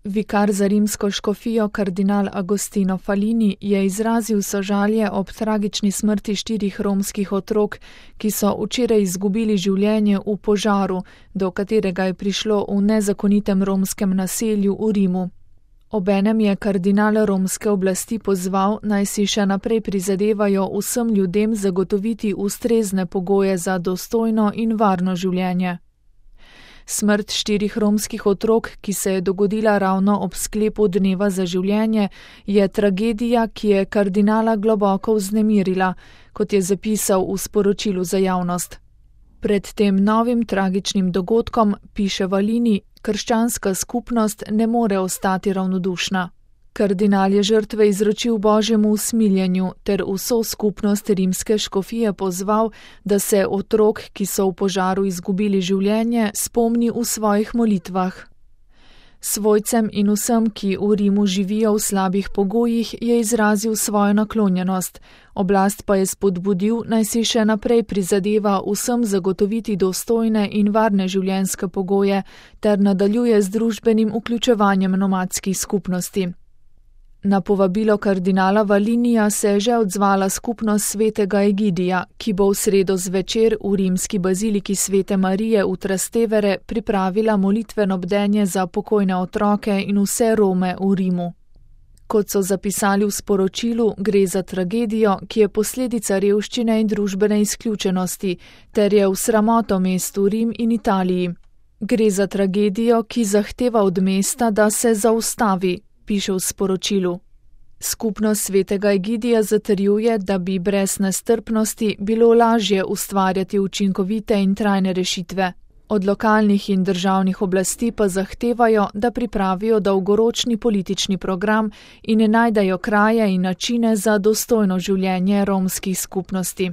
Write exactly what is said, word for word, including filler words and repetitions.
Vikar za rimsko škofijo kardinal Agostino Falini je izrazil sožalje ob tragični smrti štirih romskih otrok, ki so včeraj izgubili življenje v požaru, do katerega je prišlo v nezakonitem romskem naselju v Rimu. Obenem je kardinal romske oblasti pozval, naj si še naprej prizadevajo vsem ljudem zagotoviti ustrezne pogoje za dostojno in varno življenje. Smrt štirih romskih otrok, ki se je dogodila ravno ob sklepu dneva za življenje, je tragedija, ki je kardinala globoko vznemirila, kot je zapisal v sporočilu za javnost. Pred tem novim tragičnim dogodkom, piše Falini, krščanska skupnost ne more ostati ravnodušna. Kardinal je žrtve izročil Božjemu usmiljenju ter vso skupnost rimske škofije pozval, da se otrok, ki so v požaru izgubili življenje, spomni v svojih molitvah. Svojcem in vsem, ki v Rimu živijo v slabih pogojih, je izrazil svojo naklonjenost, oblast pa je spodbudil, naj si še naprej prizadeva vsem zagotoviti dostojne in varne življenjske pogoje ter nadaljuje z družbenim vključevanjem nomadskih skupnosti. Na povabilo kardinala Falinija se je že odzvala skupnost svetega Egidija, ki bo v sredo zvečer v rimski baziliki Svete Marije v Trastevere pripravila molitveno bdenje za pokojne otroke in vse Rome v Rimu. Kot so zapisali v sporočilu, gre za tragedijo, ki je posledica revščine in družbene izključenosti, ter je v sramoto mestu Rim in Italiji. Gre za tragedijo, ki zahteva od mesta, da se zaustavi, piše v sporočilu. Skupnost svetega Egidija zatrjuje, da bi brez nestrpnosti bilo lažje ustvarjati učinkovite in trajne rešitve. Od lokalnih in državnih oblasti pa zahtevajo, da pripravijo dolgoročni politični program in najdejo kraje in načine za dostojno življenje romskih skupnosti.